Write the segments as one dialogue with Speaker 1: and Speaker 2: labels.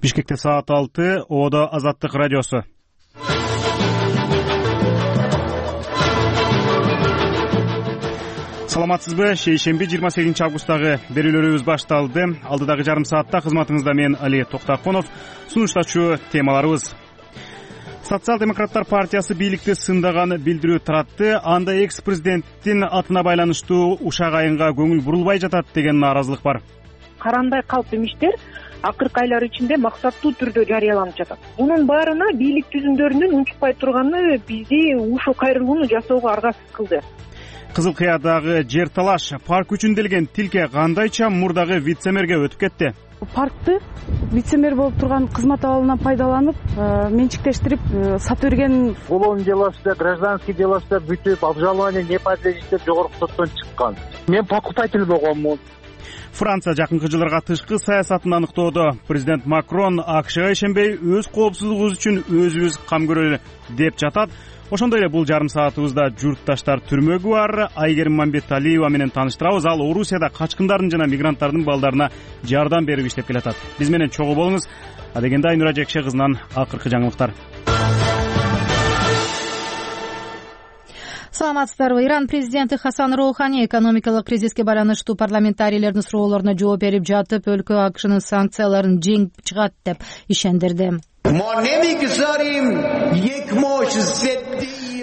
Speaker 1: Бишкекте саат 6, Оодо Азаттык радиосу. Саламатсызбы? Шейшемби 28 августтагы берүүлөрүбүз башталды. Алдыдагы жарым саатта кызматыңызда мен Али Токтаконов, сунуштачу темаларыбыз. Социал-демократтар партиясы бийликти сындаган билдирүү таратты. Анда экс-президенттин атына байланыштуу ушак айынга көңүл бурулбай жатат деген нааразылык бар.
Speaker 2: Карандай калп эмиштер акыркы айлар ичинде максаттуу түрдө жарыяланып жатат. Мунун баарына бийлик түзүмдөрүнүн унчукпай турганы бизди ушул кайрылууну жасоого аргасыз кылды.
Speaker 1: Кызыл Кыядагы жер талаш парк үчүн делген тилке кандайча мурдагы вице-мэрге өтүп кетти?
Speaker 3: Паркты вице-мэр болуп турган кызмат абалынан пайдаланып, менчиктештирип сатып берген.
Speaker 4: Уголовный делосу, гражданский делосу бүтүп, обжалование не подлежит деп жогорку соттон чыккан. Мен покупатель болгонмун.
Speaker 1: Франция жакынкы жылдарга тышкы саясатын аныктоодо. Президент Макрон АКШга ишенбей, өз коопсуздугубуз үчүн өзүбүз кам көрөлү деп жатат. Ошондой эле бул жарым саатыбызда журтташтар түрмөгү бар. Айгерим Мамбеталиева менен тааныштырабыз. Ал Орусияда качкындардын жана мигранттардын балдарына жардам берип иштеп келатат. Биз менен чогуу болуңуз. Адегенде Айнура Жекше кызынан акыркы жаңылыктар.
Speaker 5: Саламатсыздарбы? Иран президенти Хасан Роухани экономикалык кризиске байланыштуу парламентарийлердин суроолоруна жооп берип жатып, өлкө АКШнын санкцияларын жеңип чыгат деп ишендирди.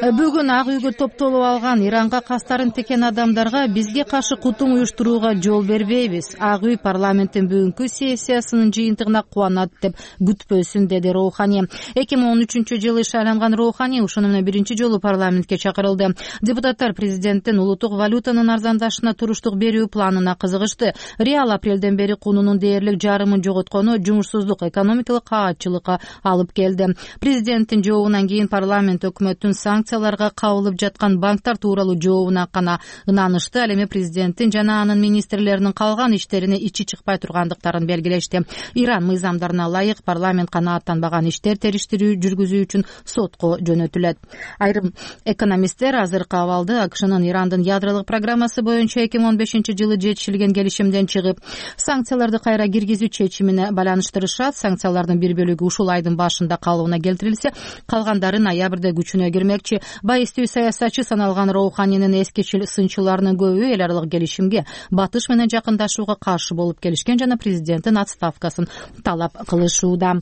Speaker 5: Бүгүн Ак үйгө топтолуп алган Иранга кастарын текен адамдарга бизге каршы кутум уюштурууга жол бербейбиз. Ак үй парламенттин бүгүнкү сессиясынын жыйынтыгына кубанат деп күтпөсүн, деди Роухани. 2013-жылы шайланган Роухани ушуну менен биринчи жолу парламентке чакырылды. Депутаттар президенттин улуттук валютанын арзандашына туруштук берүү планына кызыгышты. Реал апрелден бери кунунун дээрлик жарымын жоготкону жумушсуздук, экономикалык каатчылыкка алып келди. Президенттин жообунан кийин парламент өкмөттүн санкцияларга кабылып жаткан банктар тууралуу жообуна гана ынанышты. Ал эми президенттин жана анын министрлеринин калган иштерине ичи чыкпай тургандыктарын белгилешти. Иран мыйзамдарына ылайык парламент канааттанбаган иштер териштирүү жүргүзүү үчүн сотко жөнөтүлөт. Айрым экономисттер азыркы абалды АКШнын Ирандын ядролук программасы боюнча 2015-жылы жетишилген келишимден чыгып, санкцияларды кайра киргизүү чечимине байланыштырышат. Санкциялардын бир бөлүгү ушул айдын башында калыбына келтирилсе, калгандары ноябрда күчүнө кирмекчи. Байыстуу саясатчы саналган Роуханинин эскичил сынчыларынын көбү эл аралык келишимге, батыш менен жакындашууга каршы болуп келишкен жана президенттин отставкасын талап кылышууда.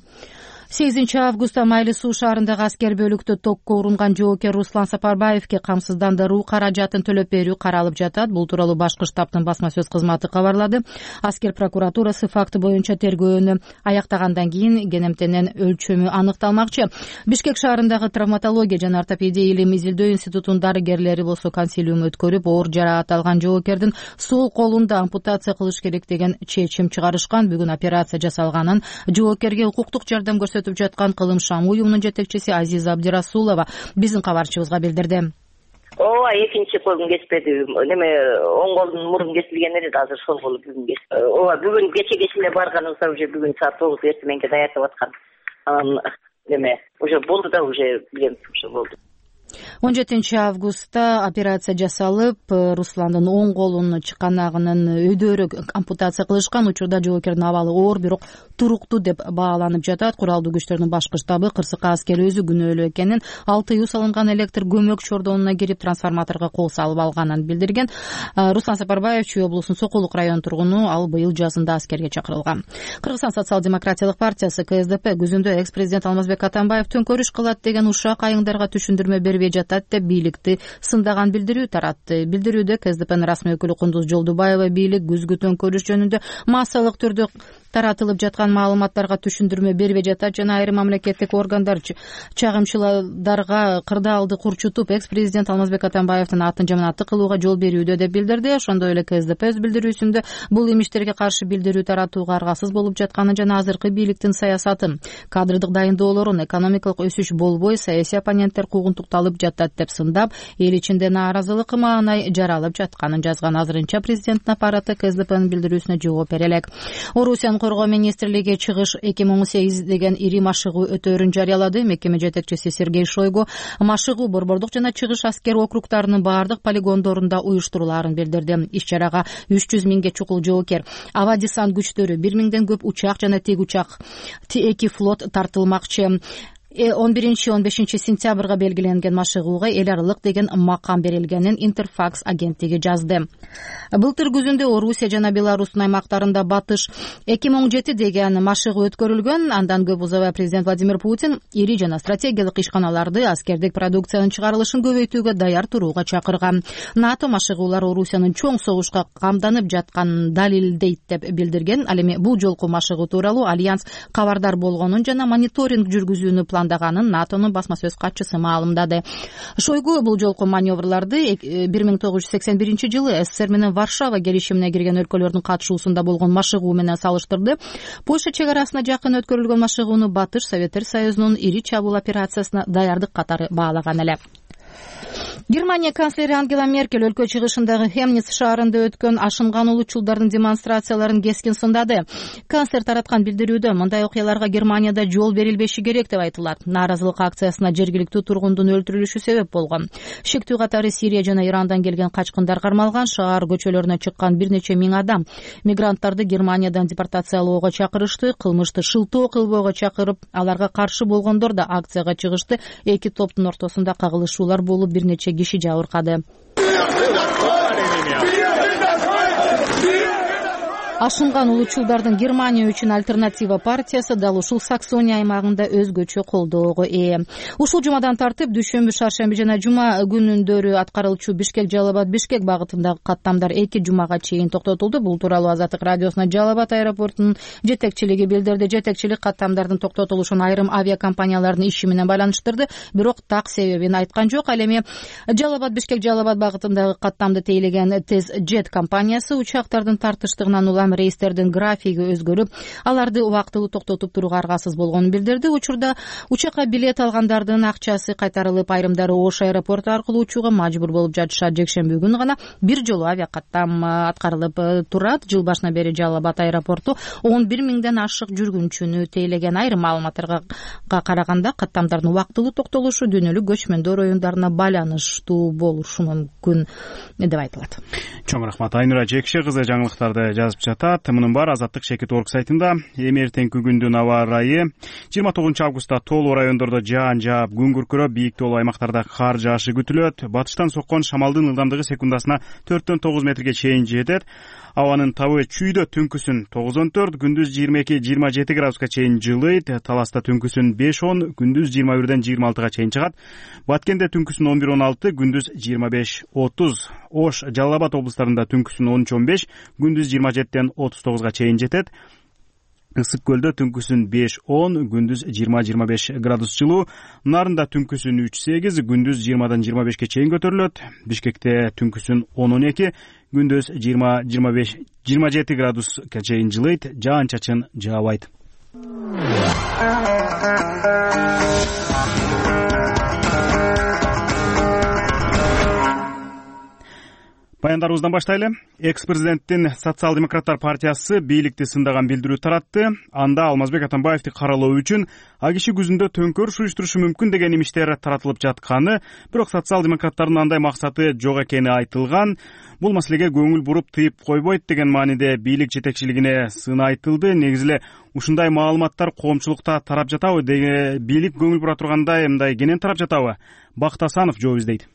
Speaker 5: 8 августта Майлы суу шаарындагы аскер бөлүктө токко урунган жоокер Руслан Сапарбаевке камсыздандыруу каражатын төлөп берүү каралып жатат. Бул тууралуу башкы штабтын басма сөз кызматы кабарлады. Аскер прокуратурасы факты боюнча тергөөнү аяктагандан кийин кенемтенен өлчөмү аныкталмакчы. Бишкек шаарындагы травматология жана ортопедия илим изилдөө институтунун дарыгерлери болсо консилиум өткөрүп, оор жараат алган жоокердин сол колунда ампутация кылыш керек деген чечим чыгарышкан. Бүгүн операция жасалганын, жоокерге укуктук жардам көрсөтүп жаткан Кылым Шам уюмунун жетекчиси Азиза Абдирасулова биздин кабарчыбызга билдирди.
Speaker 6: Ооба, экинчи колум кеспеди. Оң колдун мурун кесилген эле, азыр сол колу бүгүн кести. Ооба, бүгүн кечеге эле барганыбызда уже бүгүн саат 9 эртеменге даярдап аткан. Уже болду да, уже билем, уже болду.
Speaker 5: 17 августта операция жасалып, Русландын оң колунун чыканагынын өйдөрү ампутация кылышкан. Учурда жоокердин абалы оор, бирок туруктуу деп бааланып жатат. Куралдуу күчтөрдүн башкы штабы Кырсыкка аскер өзү күнөөлүү экенин, 6 үй салынган электр көмөк чордонуна кирип трансформаторго кол салып алганын билдирген. Руслан Сапарбаев Чүй облусунун Сокулук районунун тургуну, ал быйыл жазында аскерге чакырылган. Кыргызстан социал-демократиялык партиясы КСДП күзүндө экс-президент Алмазбек Атамбаев төңкөрүш кылат деген ушак айыңдарга түшүндүрмө бербей жатат деп бийликти сындаган билдирүү таратты. Билдирүүдө КСДПнын расмий өкүлү Кундуз Жолдубаева бийлик күзгү төңкөрүш жөнүндө массалык түрдө таратылып жаткан маалыматтарга түшүндүрмө бербей жатат жана айрым мамлекеттик органдар чагымчыларга кырдаалды курчутуп, экс-президент Алмазбек Атамбаевдин атын жаманаттык кылууга жол берүүдө деп билдирди. Ошондой эле КСДП өз билдирүүсүндө бул имиштерге каршы билдирүү таратууга аргасыз болуп жатканын жана азыркы бийликтин саясатын, кадрдык дайындоолорун, экономикалык өсүш болбой, саясий оппоненттер куугунтукталып жатат деп сындап, эл ичинде нааразылык маанай жаралып жатканын жазган. Азырынча президенттин аппараты КСДПнын билдирүүсүнө жооп бере элек. Орусиянын коргоо министрлиги чыгыш 2018 деген ири машыгуу өтөөрүн жарыялады. Мекеме жетекчиси Сергей Шойгу машыгуу Борбордук жана Чыгыш аскер округдарынын баардык полигондорунда уюштурулаарын билдирди. Иш-чарага 300 миңге чукул жоокер, аба десант күчтөрү, 1 миңден көп учак жана тигучак, T2 флот тартылмакчы. 11-15 сентябрга белгиленген машыгууга эл аралык деген макам берилгенин Интерфакс агенттиги жазды. Былтыр күзүндө Орусия жана Беларустун аймактарында батыш 2017 деген машыгуу өткөрүлгөн. Андан көп узабай президент Владимир Путин ири жана стратегиялык ишканаларды, аскердик продукциянын чыгарылышын көбөйтүүгө даяр турууга чакырган. НАТО машыгуулар Орусиянын чоң согушка камданып жатканын далилдейт деп билдирген. Ал эми бул жолку машыгуу тууралуу Альянс кабардар болгонун жана мониторинг жүргүзүүнү пландаганын НАТОнун басма сөз катчысы маалымдады. Шойгу бул жолку маневрларды 1981 жылы СССР менен Варшава келишимине кирген өлкөлөрдүн катышуусунда болгон машыгуу менен салыштырды. Польша чек арасына жакын өткөрүлгөн машыгууну Батыш Советтер Союзунун ири чабуул операциясына даярдык катары баалаган эле. Германия канцлери Ангела Меркель өлкө чыгышындагы Хемниц шаарында өткөн ашынган улутчулдардын демонстрацияларын кескин сындады. Канцлер тараткан билдирүүдө мындай окуяларга Германияда жол берилбеши керек деп айтылат. Нааразылык акциясына жергиликтүү тургундун өлтүрүлүшү себеп болгон. Шектүү катары Сирия жана Ирандан келген качкындар кармалган. Шаар көчөлөрүнө чыккан бир нече миң адам мигранттарды Германиядан депортациялоого чакырышты. Кылмышты шылтоо кылбоого чакырып, аларга каршы болгондор да акцияга чыгышты. Эки топтун ортосунда кагылышуулар болуп, бир нече киши жабыркады. Ашынган улутчулдардын Германия үчүн альтернатива партиясы дал ушул Саксония аймагында өзгөчө колдоого ээ. Ушул жумадан тартып дүйшөмбү, шаршемби жана жума күнүндөрү аткарылчу Бишкек-Жалал-Абад-Бишкек багытындагы каттамдар 2 жумага чейин токтотулду. Бул тууралуу Азаттык радиосуна Жалал-Абад аэропортунун жетекчилиги билдирди. Жетекчилик каттамдардын токтотулушун айрым авиакомпаниялардын иши менен байланыштырды, бирок так себебин айткан жок. Ал эми Жалал-Абад-Бишкек-Жалал-Абад багытындагы каттамды тейлеген Тез-Джет компаниясы учактардын тартыштыгынан улам рейстердин графиги өзгөрүп, аларды убактылуу токтотуп турууга аргасыз болгонун билдирди. Учурда учакка билет алгандардын акчасы кайтарылып, айрымдары Ош аэропорту аркылуу учууга мажбур болуп жатышат. Жекшемби күнү гана бир жолу авиакаттам аткарылып турат. Жыл башынан бери Жалал-Абад аэропорту 11 миңден ашык жүргүнчүнү тейлеген. Айрым маалыматтарга караганда каттамдардын убактылуу токтолушу дүйнөлүк көчмөндөр оюндарына байланыштуу болушу мүмкүн деп айтылат.
Speaker 1: Чоң рахмат Айнура Жекше кызы жаңылыктарды жазып жатат. Мунун баары Азаттык Шекет.org сайтында. Эми эртеңки күндүн аба ырайы 29 августта тоолуу райондордо жаан жаап, күн күркүрөп, бийик тоолуу аймактарда кар жаашы күтүлөт. Батыштан соккон шамалдын ылдамдыгы секундасына 4-9 метрге чейин жетет. Абанын табы чүйдө түнкүсүн 9-14, күндүз 22-27 градуска чейин жылыйт. Таласта түнкүсүн 5-10, күндүз 21-26 чейин чыгат. Баткенде түнкүсүн 11-16, күндүз 25-30. Ош, Жалал-Абад облустарында түнкүсүн 13-15, күндүз 27-39 чейин жетет. Ысык көлдө түнкүсүн 5-10, күндүз 20-25 градус жылуу. Нарында түнкүсүн 3-8, күндүз 20-25 чейин көтөрүлөт. Бишкекте түнкүсүн 10-12, күндүз 20-27 градуска чейин жылыйт. Жаан-чачын жаабайт. Баяндарыбыздан баштайлы. Экс-президенттин Социал-демократтар партиясы бийликти сындаган билдирүү таратты. Анда Алмазбек Атамбаевди каралоо үчүн АКШ күзүндө төңкөрүш уюштурушу мүмкүн деген имиштер таратылып жатканы, бирок социал-демократтардын андай максаты жок экени айтылган. Бул маселеге көңүл буруп тыйып койбойт деген мааниде бийлик жетекчилигине сын айтылды. Негизи эле ушундай маалыматтар коомчулукта тарап жатабы деген бийлик көңүл бура тургандай мындай кенен тарап жатабы? Бакыт Асанов жооп издейт.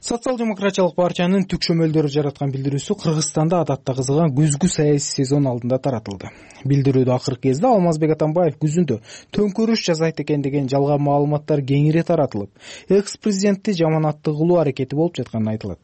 Speaker 7: Социал-демократиялык партиянын түк шөмөлдөрү жараткан билдирүүсү Кыргызстанда адатта кызыган күзгү саясий сезон алдында таратылды. Билдирүүдө акыркы кезде Алмазбек Атамбаев күзүндө төңкөрүш жасайт экен деген жалган маалыматтар кеңири таратылып, экс-президентти жаманатты кылуу аракети болуп жатканы айтылат.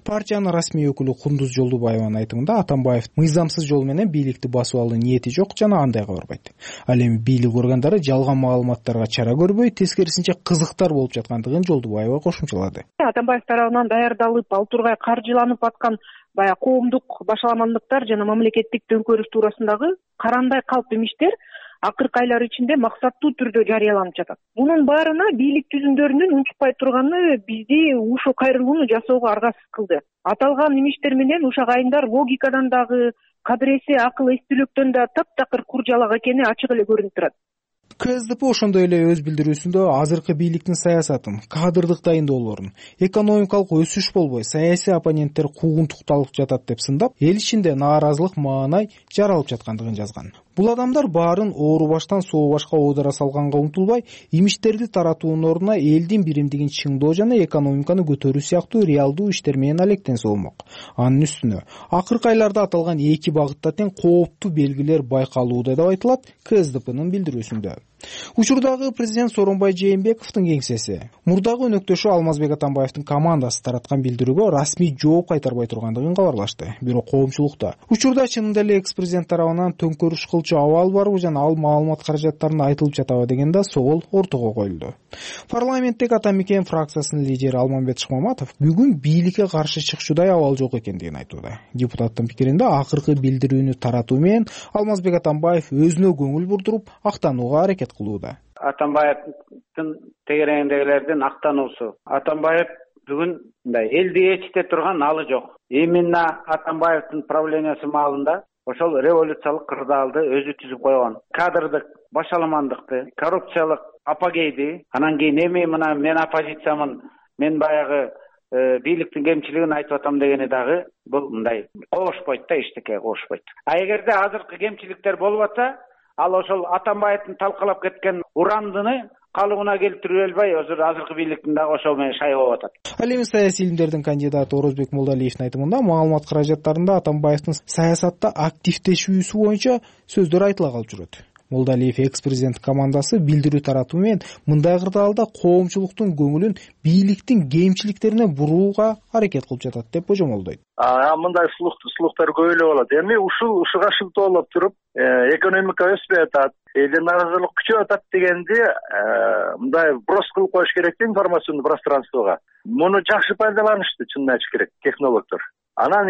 Speaker 7: Партиянын расмий өкүлү Кундуз Жолдубаеванын айтымында Атамбаев мыйзамсыз жол менен бийликти басып алуу ниети жок жана андайга барбайт. Ал эми бийлик органдары жалган маалыматтарга чара көрбөй, тескерисинче кызыктар болуп жаткандыгын Жолдубаева кошумчалады.
Speaker 2: Атамбаев тарабынан даярдалып, ал тургай каржыланып аткан баягы коомдук башаламандыктар жана мамлекеттик төңкөрүш туурасындагы карандай калп имиштер акыркы айлар ичинде максаттуу түрдө жарыяланып жатат. Мунун баарына бийлик түзүмдөрүнүн унчукпай турганы бизди ушул кайрылууну жасоого аргасыз кылды. Аталган имиштер менен ушак айымдар логикадан дагы, кадыр акыл эстүүлүктөн да таптакыр куржалак экени ачык эле көрүнүп турат.
Speaker 7: КСДП ошондой эле өз билдирүүсүндө азыркы бийликтин саясатын, кадрдык дайындоолорун, экономикалык өсүш болбой саясий оппоненттер куугунтукталып жатат деп сындап, эл ичинде нааразылык маанай жаралып жаткандыгын жазган. Бул адамдар баарын оору баштан соо башка оодура салганга умтулбай, имичтерди таратуунун ордуна элдин биримдигин чыңдоо жана экономиканы көтөрүү сыяктуу реалдуу иштер менен алектенсе болмок. Анын үстүнө акыркы айларда аталган эки багытта тең кооптуу белгилер байкалууда деп айтылат КСДПнын билдирүүсүндө. Учурдагы президент Сооронбай Жээнбековдун кеңсеси мурдагы өнөктөшү Алмазбек Атамбаевдин командасы тараткан билдирүүгө расмий жооп кайтарбай тургандыгын кабарлашты. Бирок коомчулукта учурда чынында эле экс-президент тарабынан төңкөрүш кылчу абал барбы жана ал маалымат каражаттарын айтылып жатабы деген да соол ортого коюлду. Парламенттеги Ата Мекен фракциясынын лидери Алмамбет Шыкмаматов бүгүн бийликке каршы чыкчудай абал жок экендигин айтууда. Депутаттын пикиринде акыркы билдирүүнү таратуу менен Алмазбек Атамбаев өзүнө көңүл бурдуруп актанууга аракет кылууда.
Speaker 8: Атамбаевдин тегерегиндегилердин актануусу. Атамбаев бүгүн мындай элди ээрчите турган алы жок. Именно Атамбаевдин правлениясы маалында ошол революциялык кырдаалды өзү түзүп койгон. Кадрдык башаламандыкты, коррупциялык апогейди, анан кийин эми мына мен оппозициямын, мен баягы бийликтин кемчилигин айтып атам дегени дагы бул мындай кошпойт да, эчтеке кошпойт. А эгерде азыркы кемчиликтер болуп атса, ал ошол Атамбаевдин талкалап кеткен урандыны калыбына келтирип албай, азыркы бийликтин дагы ошол менен шай болуп атат.
Speaker 7: Ал эми саясий илимдердин кандидаты Орозбек Молдалиевдин айтымында маалымат каражаттарында Атамбаевдин саясатта активдешүүсү боюнча сөздөр айтыла калып жүрөт. Молдалиев экс-президент командасы билдирүү таратуу менен мындай кырдаалда коомчулуктун көңүлүн бийликтин кемчиликтерине бурууга аракет кылып жатат деп божомолдойт.
Speaker 9: Мындай слухтар көп эле болот. Эми ушуга шылтоолоп туруп, экономика өспөй атат, элдин нааразылык күчөп атат дегенди мындай брос кылып коюш керек да информационный пространствого. Муну жакшы пайдаланышты, чынын айтыш керек технологдор. Анан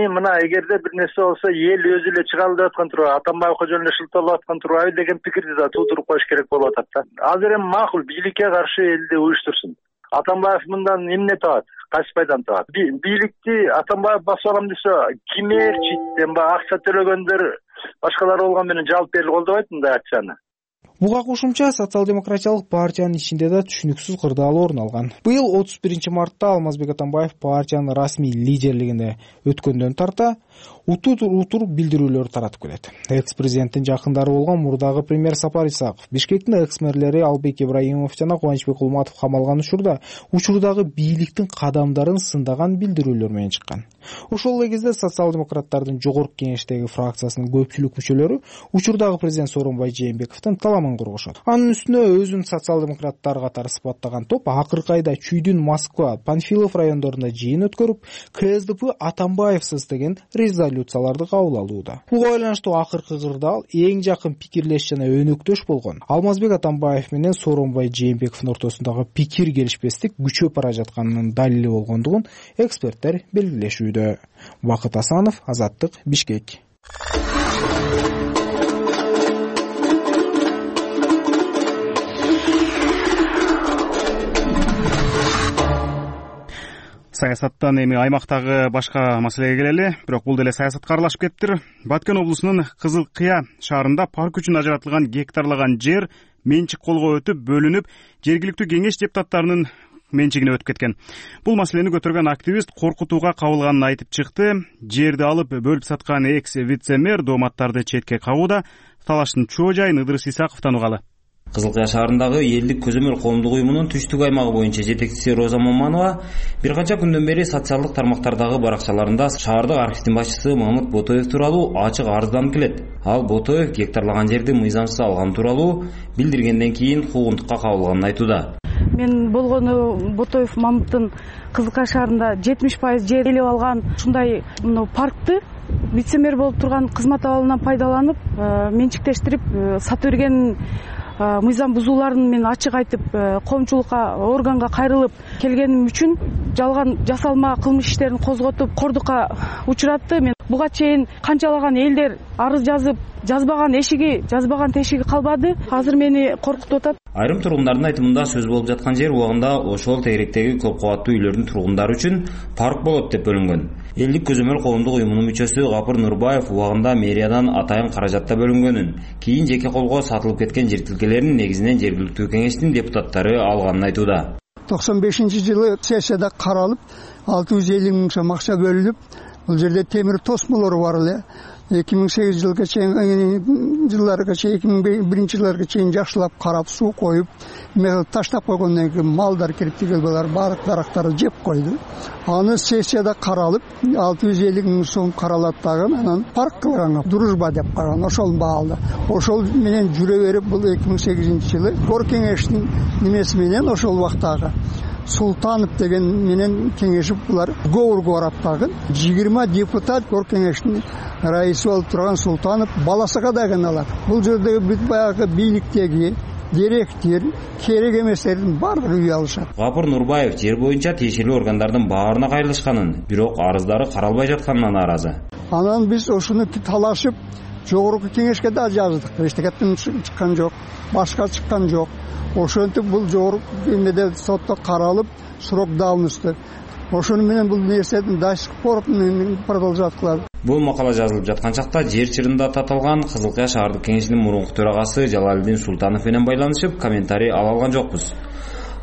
Speaker 9: мына эгерде бир нерсе болсо эл өзү эле чыгалы деп аткан турбайбы, Атамбаевга жөн эле шылтоолоп аткан турбайбы деген пикирди да туудуруп коюш керек болуп атат да. Азыр эми макул бийликке каршы элди уюштурсун. Атамбаев мындан эмне табат? Кайсы пайданы табат? Бийликти Атамбаев басып алам десе, ким ээрчит, акча төлөгөндөр башкалар болгон менен жалп берип колдобойт мындай акцияны.
Speaker 7: Буга кошумча социал-демократиялык партиянын ичинде да түшүнүксүз кырдаал орун алган. Быйыл 31-мартта Алмазбек Атамбаев партиянын расмий лидерлигинде өткөндөн тарта утур билдирүүлөр таратып келет. Экс-президенттин жакындары болгон мурдагы премьер Сапар Исаков, Бишкектин экс-мэрлери Албек Ибраимов жана Кубанычбек Кулматов камалган учурдагы бийликтин кадамдарын сындаган билдирүүлөр менен чыккан. Ошол эле кезде социал-демократтардын жогорку кеңештеги фракциясынын көпчүлүк мүчөлөрү учурдагы президент Сооронбай Жээнбековдун таламын коргошот. Анын үстүнө өзүн социал-демократтар катары сыпаттаган топ акыркы айда Чүйдүн, Москва, Панфилов райондорунда жыйын өткөрүп, КСДП Атамбаевсыз деген резолюцияларды кабыл алууда. Буга байланыштуу акыркы кырдаал эң жакын пикирлеш жана өнөктөш болгон Алмазбек Атамбаев менен Сооронбай Жээнбековдун ортосундагы пикир келишпестик күчөп бара жатканынын далили болгондугун эксперттер белгилешүүдө. Бакыт Асанов, Азаттык, Бишкек.
Speaker 1: Саясаттан эми аймактагы башка маселеге келели, бирок бул деле саясатка аралашып кетиптир. Баткен облусунун Кызыл Кыя шаарында парк үчүн ажыратылган гектарлаган жер менчик колго өтүп, бөлүнүп, жергиликтүү кеңеш депутаттарынын менчигине өтүп кеткен. Бул маселени көтөргөн активист коркутууга кабылганын айтып чыкты. Жерди алып бөлүп саткан экс-вице-мэр дооматтарды четке кагууда. Талаштын чоо жайын Ыдырыс Исаковдон угалы.
Speaker 10: Кызыл Кыя шаарындагы элдик көзөмөл коомдук уюмунун түштүк аймагы боюнча жетекчиси Роза Моманова бир канча күндөн бери социалдык тармактардагы баракчаларында шаардык архивдин башчысы Мамыт Ботоев тууралуу ачык арызданып келет. Ал Ботоев гектарлаган жерди мыйзамсыз алган тууралуу билдиргенден кийин куугунтукка кабылганын айтууда.
Speaker 3: Мен болгону Ботоев Мамыттын Кызыл Кыя шаарында 70% жер ээлеп алган ушундай паркты вице-мэр болуп турган кызмат абалынан пайдаланып, менчиктештирип сатып берген мыйзам бузууларын мен ачык айтып, коомчулукка, органга кайрылып келгеним үчүн жалган жасалма кылмыш иштерин козготуп кордукка учуратты. Мен буга чейин канчалаган элдер арыз жазып, жазбаган тешиги калбады. Азыр мени коркутуп атат.
Speaker 10: Айрым тургундардын айтымында сөз болуп жаткан жер убагында ошол тегеректеги көп кабаттуу үйлөрдүн тургундары үчүн парк болот деп бөлүнгөн. Элдик көзөмөл коомдук уюмунун мүчөсү Гапур Нурбаев убагында мэриядан атайын каражатта бөлүнгөнүн, кийин жеке колго сатылып кеткен жер тилкелерин негизинен жергиликтүү кеңештин депутаттары алганын айтууда.
Speaker 11: 95-жылы сессияда каралып, 650 миң сом акча бөлүнүп, бул жерде темир тосмолор бар эле. 2008 жылга чейин, 2001 жылдарга чейин жакшылап карап, суу коюп, таштап койгондон кийин малдар кирип тигилбалар баардык дарактарды жеп койду. Аны сессияда каралып, 650 миң сом каралат дагы, анан парк кылган, дружба деп караган, ошол баалды. Ошол менен жүрө берип, бул 2008 жылы Кор кеңештин немеси менен ошол убактагы Султанов деген менен кеңешип булар говорго барат дагы. 20 депутат Кор кеңештин раиси болуп турган Султанов баласыга да кыналат. Бул жердеги бүт баягы бийликтеги директор керек эместердин баардыгы үй алышат.
Speaker 10: Гапур Нурбаев жер боюнча тиешелүү органдардын баарына кайрылышканын, бирок арыздары каралбай жатканына нааразы.
Speaker 11: Анан биз ошуну талашып жогорку кеңешке да жаздык. Эчтекеттен чыккан жок, башка чыккан жок. Ошентип бул жогорку эмеде сотто каралып, срок давности. Ошону менен бул нерседин до сих пор продолжать кылат.
Speaker 10: Бул макала жазылып жаткан чакта жер чырында татылган Кызылкая шаардык кеңешинин мурунку төрагасы Жалалидин Султанов менен байланышып, комментарий ала алган жокпуз.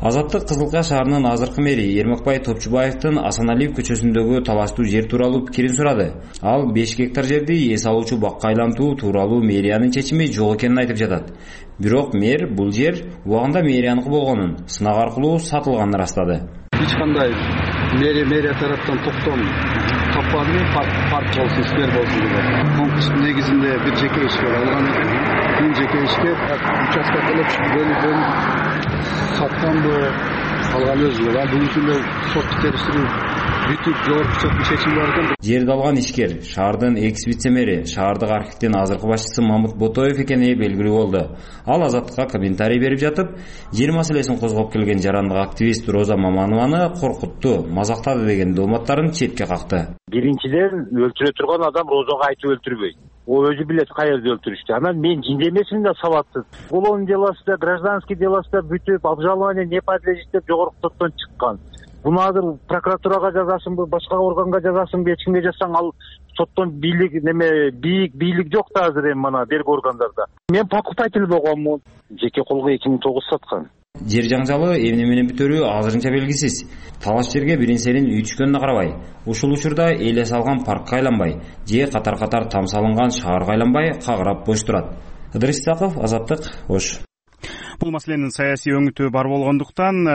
Speaker 10: Азаттык Кызылкая шаарынын азыркы мэри Эрмекбай Топчубаевдин Асаналиев көчөсүндөгү талаштуу жер тууралуу пикирин сурады. Ал 5 гектар жерди эс алуучу бакка айлантуу тууралуу мэриянын чечими жок экенин айтып жатат. Бирок мэр бул жер убагында мэрияныкы болгонун, сынак аркылуу сатылганын ырастады.
Speaker 12: Эч кандай мэрия тараптан токтом таппадым, парк болсун, сквер болсун деп. Конкурс негизинде бир жеке ишкер алган экен. Бул жеке ишкер участка бөлүп сатканды алган өзү. Бүгүнкү күндө соттук териштирүү бүтүп жогорку соттун чечими бар экен.
Speaker 10: Жерди алган ишкер шаардын экс-вице-мэри, шаардык архивдин азыркы башчысы Мамыт Ботоев экени белгилүү болду. Ал Азаттыкка комментарий берип жатып, жер маселесин козгоп келген жарандык активист Роза Маманованы коркутту, мазактады деген дооматтарын четке какты.
Speaker 4: Биринчиден өлтүрө турган адам Розага айтып өлтүрбөйт. О өзү билет каерде өлтүрүштү. Анан мен жинде эмесмин да сабатсыз. Уголовный делосунда, гражданский делосунда бүтүп, обжалование не подлежит деп жогорку соттон чыккан. Буну азыр прокуратурага жазасыңбы, башка органга жазасыңбы, эч кимге жазсаң ал соттон бийлик бийлик жок да азыр эми мана берги органдарда. Мен покупатель болгонмун. Жеке колго 2009 саткан.
Speaker 10: Жер жаңжалы эмне менен бүтөрү азырынча белгисиз. Талаш жерге биринсерин үй түшкөнүнө карабай, ушул учурда эле салган паркка айланбай, же катар-катар там салынган шаарга айланбай кагырап бош турат. Ыдырыс Исаков, Азаттык, Ош.
Speaker 1: Бул маселенин саясий өңүтү бар болгондуктан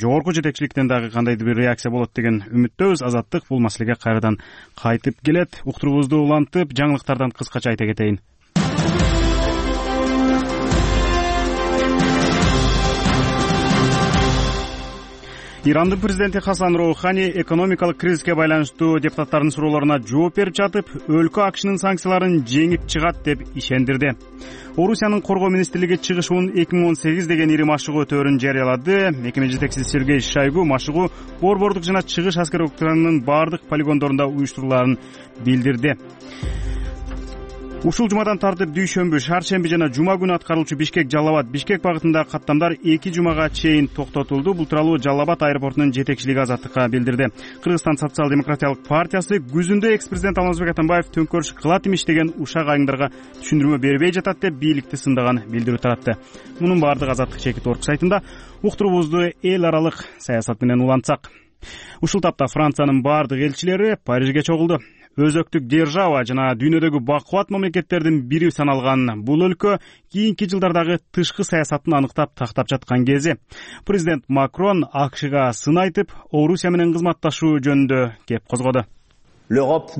Speaker 1: жогорку жетекчиликтен дагы кандайдыр бир реакция болот деген үмүттөбүз. Азаттык бул маселеге кайрадан кайтып келет. Уктуруубузду улантып, жаңылыктардан кыскача айта кетейин. Ирандын президенти Хасан Роухани экономикалык кризиске байланыштуу депутаттардын суроолоруна жооп берип жатып, өлкө АКШнын санкцияларын жеңип чыгат деп ишендирди. Орусиянын коргоо министрлиги чыгышуун 2018 деген ири машыгуу өтөөрүн жарыялады. Мекеме жетекчиси Сергей Шойгу машыгуу борбордук жана чыгыш аскер октарынын баардык полигондорунда уюштурулаарын билдирди. Ушул жумадан тартып дүйшөмбү, шаршемби жана жума күнү аткаруучу Бишкек багытындагы каттамдар 2 жумага чейин токтотулду. Бул тууралуу Жалал Абад аэропортунун жетекчилиги Азаттыкка билдирди. Кыргызстан социал-демократиялык партиясы күзүндө экс-президент Алмазбек Атамбаев төңкөрүш кылат имиш деген ушак айымдарга түшүндүрмө бербей жатат деп бийликти сындаган билдирүү таратты. Мунун баардыгы Азаттык чекит орг сайтында. Уктуруубузду эл аралык саясат менен улантсак. Ушул тапта Франциянын баардык элчилери Парижге чогулду. Өзөктүк держава жана дүйнөдөгү бакубат мамлекеттердин бири саналган бул өлкө кийинки жылдардагы тышкы саясатын аныктап тактап жаткан кези. Президент Макрон АКШга сын айтып, Орусия менен кызматташуу жөнүндө кеп козгоду.
Speaker 13: Европа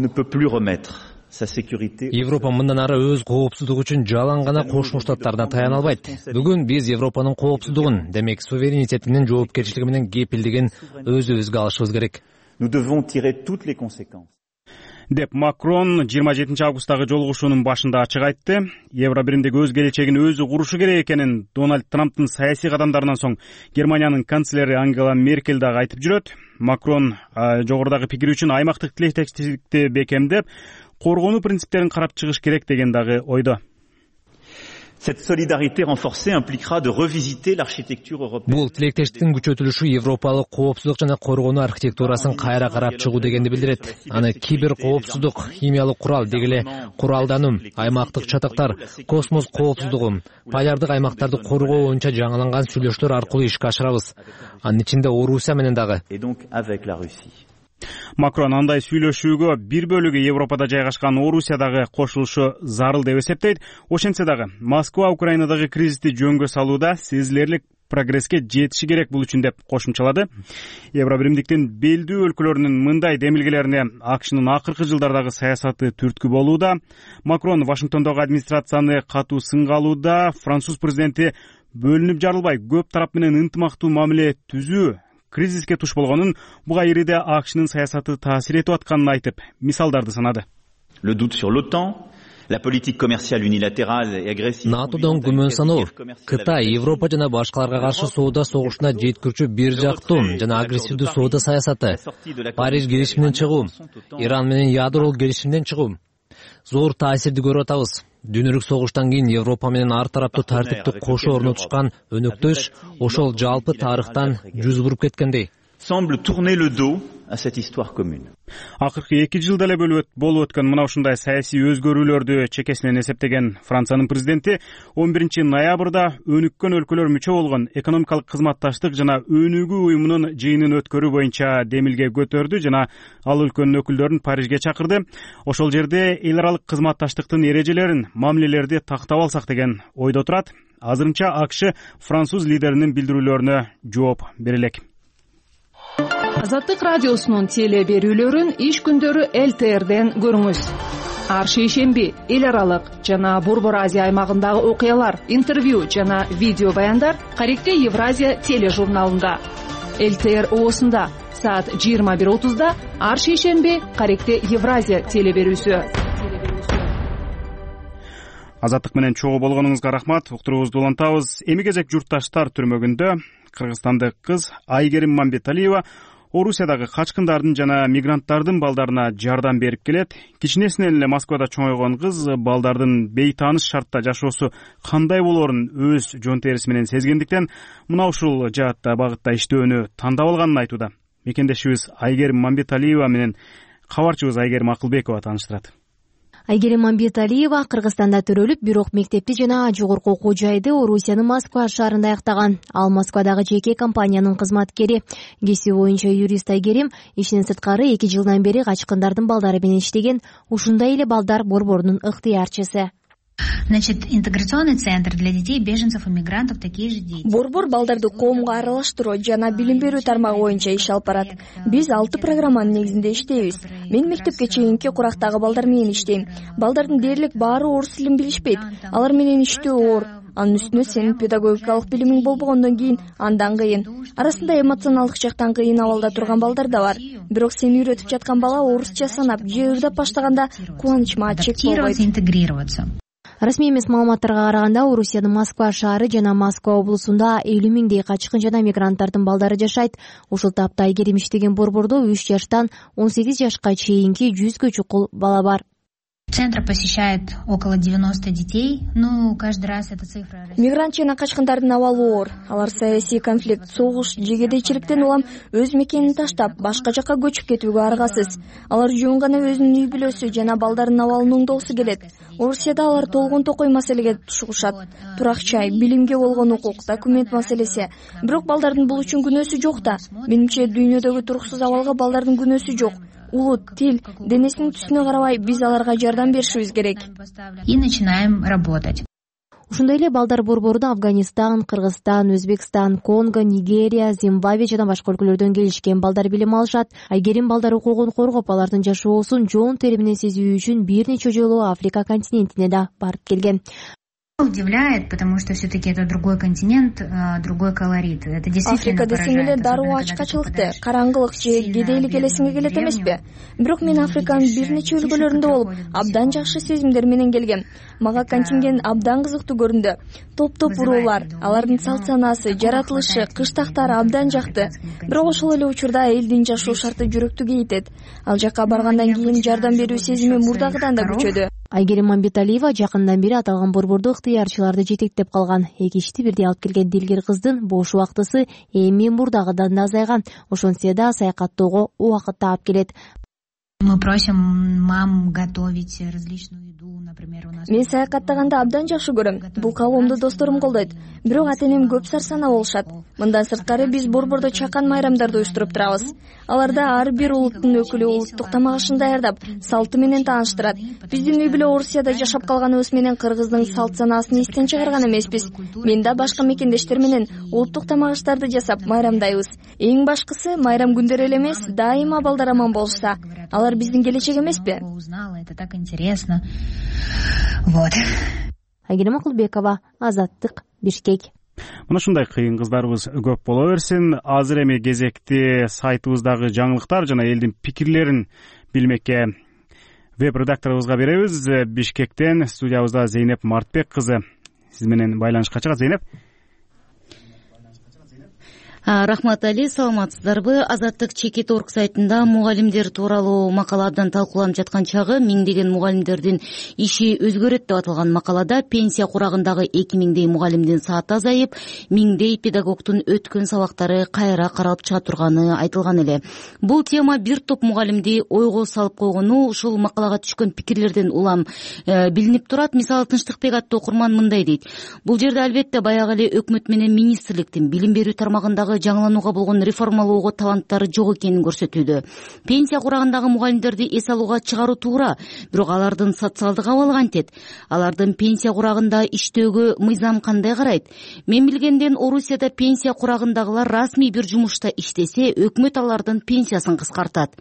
Speaker 13: мындан ары өз коопсуздугу үчүн жалаң гана Кошмо Штаттарына таяна албайт. Бүгүн биз Европанын коопсуздугун, демек суверенитетинин жоопкерчилиги менен кепилдигин өзүбүзгө алышыбыз керек.
Speaker 1: деп Макрон 27 августтагы жолугушуунун башында ачык айтты. Евро биримдик өз келечегин өзү курушу керек экенин Дональд Трамптын саясий кадамдарынан соң Германиянын канцлери Ангела Меркель дагы айтып жүрөт. Макрон жогорудагы пикири үчүн аймактык тилектештикти бекемдеп, коргонуу принциптерин карап чыгыш керек деген дагы ойдо.
Speaker 14: Cette solidarité renforcée impliquera de revisiter l'architecture européenne.
Speaker 13: Бул тилектештиктин күчөтүлүшү Европалык коопсуздук жана коргонуу архитектурасын кайра карап чыгуу дегенди билдирет. Аны кибер коопсуздук, химиялык курал, деги эле куралдануу, аймактык чатактар, космос коопсуздугу, полярдык аймактарды коргоо боюнча жаңыланган сүйлөшүүлөр аркылуу ишке ашырабыз. Анын ичинде Орусия менен дагы.
Speaker 14: Et donc avec la Russie.
Speaker 1: Макрон андай сүйлөшүүгө бир бөлүгү Европада жайгашкан Орусиядагы кошулушу зарыл деп эсептейт. Ошентсе дагы Москва Украинадагы кризисти жөнгө салууда сезилерлик прогресске жетиши керек бул үчүн деп кошумчалады. Евро биримдиктин белдүү өлкөлөрүнүн мындай демилгелерине АКШнын акыркы жылдардагы саясаты түрткү болууда. Макрон Вашингтондогу администрацияны катуу сынга алууда. Француз президенти бөлүнүп жарылбай көп тарап менен ынтымактуу мамиле түзүү кризиске туш болгонун, буга ириде АКШнын саясаты таасир этип атканын айтып, мисалдарды санады.
Speaker 14: Le doute sur l'OTAN, la politique commerciale unilatérale et agressive.
Speaker 13: НАТОдон күмөн саноо, Кытай, Европа жана башкаларга каршы соода согушуна жеткирүүчү бир жактуу жана агрессивдүү соода саясаты, Париж келишиминен чыгуу, Иран менен ядролук келишимден чыгуу зор таасирди көрүп атабыз. Дүйнөлүк согуштан кийин Европа менен ар тараптуу тартипти кошо орнотушкан өнөктөш ошол жалпы тарыхтан жүз буруп кеткендей.
Speaker 14: Semble tourner le dos à cette histoire commune.
Speaker 1: Акыркы 2 жылда эле болуп өткөн мына ушундай саясий өзгөрүүлөрдү чекесинен эсептеген Франциянын президенти 11 ноябрда өнүккөн өлкөлөр мүчө болгон экономикалык кызматташтык жана өнүгүү уюмунун жыйынын өткөрүү боюнча демилге көтөрдү жана ал өлкөнүн өкүлдөрүн Парижге чакырды. Ошол жерде эл аралык кызматташтыктын эрежелерин, мамилелерди тактап алсак деген ойдо турат. Азырынча АКШ француз лидеринин билдирүүлөрүнө жооп бере элек.
Speaker 15: Азаттык радиосунун теле берүүлөрүн иш күндөрү ЛТРден көрүңүз. Ар шейшемби эл аралык жана Борбор Азия аймагындагы окуялар, интервью жана видео баяндар Каректе Евразия тележурналында. ЛТР оосунда саат 21:30да ар шейшемби Каректе Евразия теле берүүсү.
Speaker 1: Азаттык менен чогуу болгонуңузга рахмат. Уктуруубузду улантабыз. Эми кезек журтташтар түрмөгүндө кыргызстандык кыз Айгерим Мамбеталиева Орусиядагы качкындардын жана мигранттардын балдарына жардам берип келет. Кичинесинен эле Москвада чоңойгон кыз балдардын бейтааныш шартта жашоосу кандай болоорун өз жон териси менен сезгендиктен мына ушул жаатта багытта иштөөнү тандап алганын айтууда. Мекендешибиз Айгерим Мамбеталиева менен кабарчыбыз Айгерим Акылбекова тааныштырат.
Speaker 16: Айгерим Мамбеталиева Кыргызстанда төрөлүп, бирок мектепти жана жогорку окуу жайды Орусиянын Москва шаарында аяктаган. Ал Москвадагы жеке компаниянын кызматкери. Кесиби боюнча юрист Айгерим ишинен сырткары 2 жылдан бери качкындардын балдары менен иштеген. Ушундай эле балдар борборунун ыктыярчысы.
Speaker 17: Значит, интеграционный центр для детей, беженцев и мигрантов такие же дети.
Speaker 18: Борбор балдарды коомго аралаштыруу жана билим берүү тармагы боюнча иш алып барат. Биз 6 программанын негизинде иштейбиз. Мен мектепке чейинки курактагы балдар менен иштейм. Балдардын дээрлик баары орус тилин билишпейт. Алар менен иштөө оор. Анын үстүнө сенин педагогикалык билимиң болбогондон кийин андан кыйын. Арасында эмоционалдык жактан кыйын абалда турган балдар да бар. Бирок сени үйрөтүп жаткан бала орусча санап же ырдап баштаганда кубанычыма чек болбойт.
Speaker 16: Расмий эмес маалыматтарга караганда Орусиянын Москва шаары жана Москва облусунда 50 миңдей качкын жана мигранттардын балдары жашайт. Ушул тапта Айгерим иштеген борбордо 3 жаштан 18 жашка чейинки 100гө чукул бала бар.
Speaker 17: Центр посещает около 90 детей. Каждый раз эта цифра...
Speaker 18: Мигрант жана качкындардын абалы оор. Алар саясий конфликт, согуш же кедейчиликтен улам өз мекенин таштап, башка жакка көчүп кетүүгө аргасыз. Алар жөн гана өзүнүн үй бүлөсү жана балдардын абалын оңдогусу келет. Орусияда алар толгон токой маселеге тушушат. Турак жай, билимге болгон укук, документ маселеси. Бирок балдардын бул үчүн күнөөсү жок да. Менимче дүйнөдөгү туруксуз абалга балдардын күнөөсү жок. Улут, тил, денесинин түсүнө карабай биз аларга жардам беришибиз керек.
Speaker 17: И начинаем работать.
Speaker 16: Ушундай эле балдар борборунда Афганистан, Кыргызстан, Өзбекстан, Конго, Нигерия, Зимбабве жана башка өлкөлөрдөн келишкен балдар билим алышат. Айгерим балдар укугун коргоп, алардын жашоосун жон тери менен сезүү үчүн бир нече жолу Африка континентине да барып келген.
Speaker 17: Удивляет, потому что все-таки это другой континент, другой колорит. Это действительно
Speaker 18: Африка десең эле дароо ачкачылыкты, караңгылык же кедейлик элесиңе келет эмеспи? Бирок мен Африканын бир нече өлкөлөрүндө болуп, абдан жакшы сезимдер менен келгем. Мага контингент абдан кызыктуу көрүндү. Топ-топ уруулар, алардын салт санаасы, жаратылышы, кыштактары абдан жакты. Бирок ошол эле учурда элдин жашоо шарты жүрөктү кейитет. Ал жака баргандан кийин жардам берүү сезими мурдагыдан да күчөдү.
Speaker 16: Айгерим Мамбеталиева жакындан бери аталган борбордо ыктыярчыларды жетектеп калган. Эки ишти бирдей алып келген дилгер кыздын бош убактысы эми мурдагыдан да азайган. Ошентсе да саякаттоого убакыт таап келет.
Speaker 17: Мы просим мам готовить различную еду, например, у нас.
Speaker 18: Мен саякаттаганда абдан жакшы көрөм. Бул калоомду досторум колдойт. Бирок ата-энем көп сарсанаа болушат. Мындан сырткары биз борбордо чакан майрамдарды уюштуруп турабыз. Аларда ар бир улуттун өкүлү улуттук тамак ашын даярдап, салты менен тааныштырат. Биздин үй бүлө Орусияда жашап калганыбыз менен кыргыздын салт санаасын эстен чыгарган эмеспиз. Мен да башка мекендештер менен улуттук тамак аштарды жасап майрамдайбыз. Эң башкысы майрам күндөрү эле эмес, дайыма балдар аман болушса. Алар биздин келечек эмеспи?
Speaker 17: Это так интересно. Вот.
Speaker 16: Айгерим Акылбекова, Азаттык, Бишкек.
Speaker 1: Мына ушундай кыйын кыздарыбыз көп боло берсин. Азыр эми кезекти сайтыбыздагы жаңылыктар жана элдин пикирлерин билмекке веб-редакторубузга беребиз. Бишкектен студиябызда Зейнеп Мартбек кызы сиз менен байланышка чыгат. Зейнеп.
Speaker 19: Рахмат Али, саламатсыздарбы? Азаттык Чекит орг сайтында мугалимдер тууралуу макала абдан талкууланып жаткан чагы миңдеген мугалимдердин иши өзгөрөт деп аталган макалада пенсия курагындагы 2000дей мугалимдин сааты азайып, миңдей педагогдун өткөн сабактары кайра каралып чыга турганы айтылган эле. Бул тема бир топ мугалимди ойго салып койгону ушул макалага түшкөн пикирлерден улам билинип турат. Мисалы, Тынчтыкбек аттуу окурман мындай дейт: бул жерде албетте баягы эле өкмөт менен министрликтин билим берүү тармагындагы жаңыланууга болгон реформалоого таланттары жок экенин көрсөтүүдө. Пенсия курагындагы мугалимдерди эс алууга чыгаруу туура, бирок алардын социалдык абалы кантет? Алардын пенсия курагында иштөөгө мыйзам кандай карайт? Мен билгенден Орусияда пенсия курагындагылар расмий бир жумушта иштесе, өкмөт алардын пенсиясын кыскартат.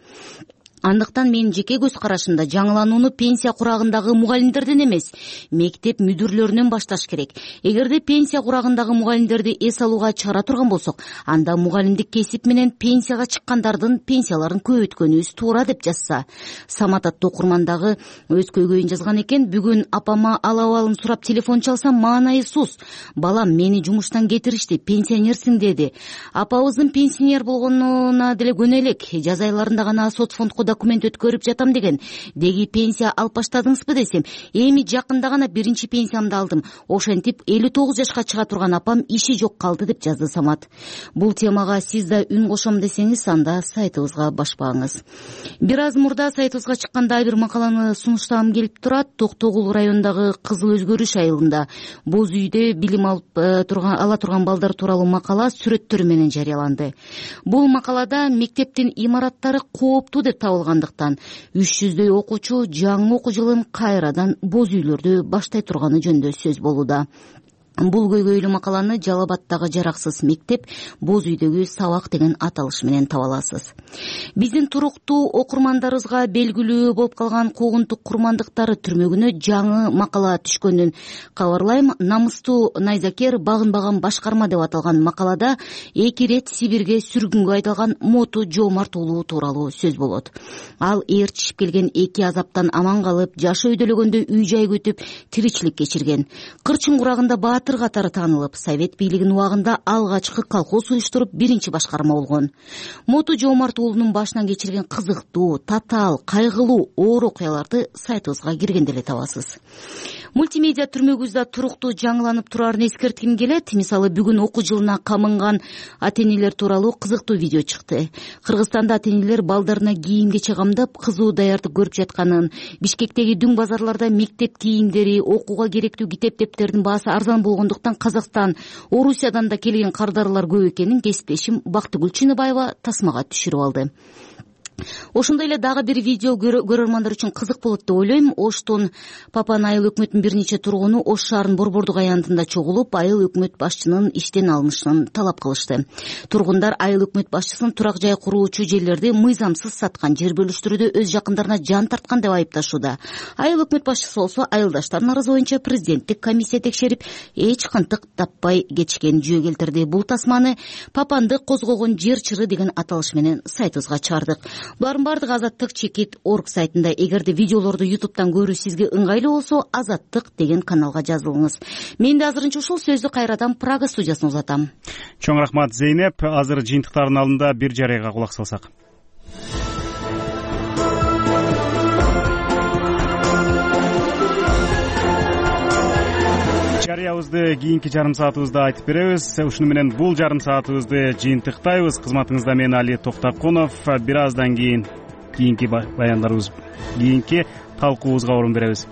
Speaker 19: Андыктан менин жеке көз карашымда жаңыланууну пенсия курагындагы мугалимдерден эмес, мектеп мүдүрлөрүнөн башташ керек. Эгерде пенсия курагындагы мугалимдерди эс алууга чыгара турган болсок, анда мугалимдик кесип менен пенсияга чыккандардын пенсияларын көбөйткөнүбүз туура деп жазса. Самат аттуу окурмандагы өз көйгөйүн жазган экен. Бүгүн апама ал абалын сурап телефон чалсам, маанайсыз: балам, мени жумуштан кетиришти, пенсионерсиң деди. Апабыздын пенсионер болгонуна деле көнө элек. Жаз айларында гана соцфондко документ өткөрүп жатам деген. Деги пенсия алып баштадыңызбы десем, эми жакында гана биринчи пенсиямды алдым. Ошентип 59 жашка чыга турган апам иши жок калды деп жазды Самат. Бул темага сиз да үн кошом десеңиз, анда сайтыбызга башпаңыз. Бир аз мурда сайтыбызга чыккан бир макаланы сунуштагым келип турат. Токтогул районундагы Кызыл өзгөрүш айылында боз үйдө билим ала турган балдар тууралуу макала сүрөттөрү менен жарыяланды. Бул макалада мектептин имараттары кооптуу деп табылгандыктан 300дөй окуучу жаңы окуу жылын кайрадан боз үйлөрдө баштай турганы жөнүндө сөз болууда. Бул көйгөйлүү макаланы Жалал-Абадтагы жараксыз мектеп боз үйдөгү сабак деген аталыш менен таба аласыз. Биздин туруктуу окурмандарыбызга белгилүү болуп калган куугунтук курмандыктары түрмөгүнө жаңы макала түшкөнүн кабарлайм. Намыстуу найзакер багынбаган башкарма деп аталган макалада 2 рет Сибирге сүргүнгө айдалган Моту Жоомарт уулу тууралуу сөз болот. Ал ээрчишип келген 2 азаптан аман калып, жашы өйдөлөгөндө үй-жай күтүп тиричилик кечирген. Кырчын курагында катары таанылып, совет бийлигинин убагында алгачкы колхоз уюштуруп биринчи башкарма болгон. Моту Жоомарт уулунун башынан кечирген кызыктуу, татаал, кайгылуу оор окуяларды сайтыбызга киргенде эле табасыз. Мультимедиа түрмөгүбүздө туруктуу жаңыланып турарын эскертким келет. Мисалы, бүгүн окуу жылына камынган ата-энелер тууралуу кызыктуу видео чыкты. Кыргызстанда ата-энелер балдарына кийим-кече камдап, кызуу даярдык көрүп жатканын, Бишкектеги дүң базарларда мектеп кийимдери, окууга керектүү китеп-дептердин баасы арзан болгондуктан Казакстан, Орусиядан да келген кардарлар көп экенин кесиптешим Бактыгүл Чыныбаева тасмага түшүрүп алды. ошондой эле дагы бир видео көрөрмандар үчүн кызык болот деп ойлойм. Оштун Папан айыл өкмөтүнүн бир нече тургуну Ош шаарынын Борбордук аянтында чогулуп, айыл өкмөт башчынын иштен алынышын талап кылышты. Тургундар айыл өкмөт башчысын турак жай куруучу жерлерди мыйзамсыз саткан, жер бөлүштүрүүдө өз жакындарына жан тарткан деп айыпташууда. Айыл өкмөт башчысы болсо айылдаштардын арызы боюнча президенттик комиссия текшерип, эч кантык таппай кетишкенин жөө келтирди. Бул тасманы Папанды козгогон жер чыры деген аталыш менен сайтыбызга чыгардык. Булардын баардыгы Азаттык Чекит.org сайтында. Эгерде видеолорду YouTube'дан көрүү сизге ыңгайлуу болсо, Азаттык деген каналга жазылыңыз. Мен да азырынча ушул сөздү кайрадан Прага студиясына узатам.
Speaker 1: Чоң рахмат Зейнеп. Азыр жыйынтыктардын алдында бир жарыяга кулак салсак. Жарыябызды кийинки жарым саатыбызда айтып беребиз. Ушуну менен бул жарым саатыбызды жыйынтыктайбыз. Кызматыңызда мен Али Токтокунов. Бир аздан кийинки баяндарыбыз, кийинки талкуубузга орун беребиз.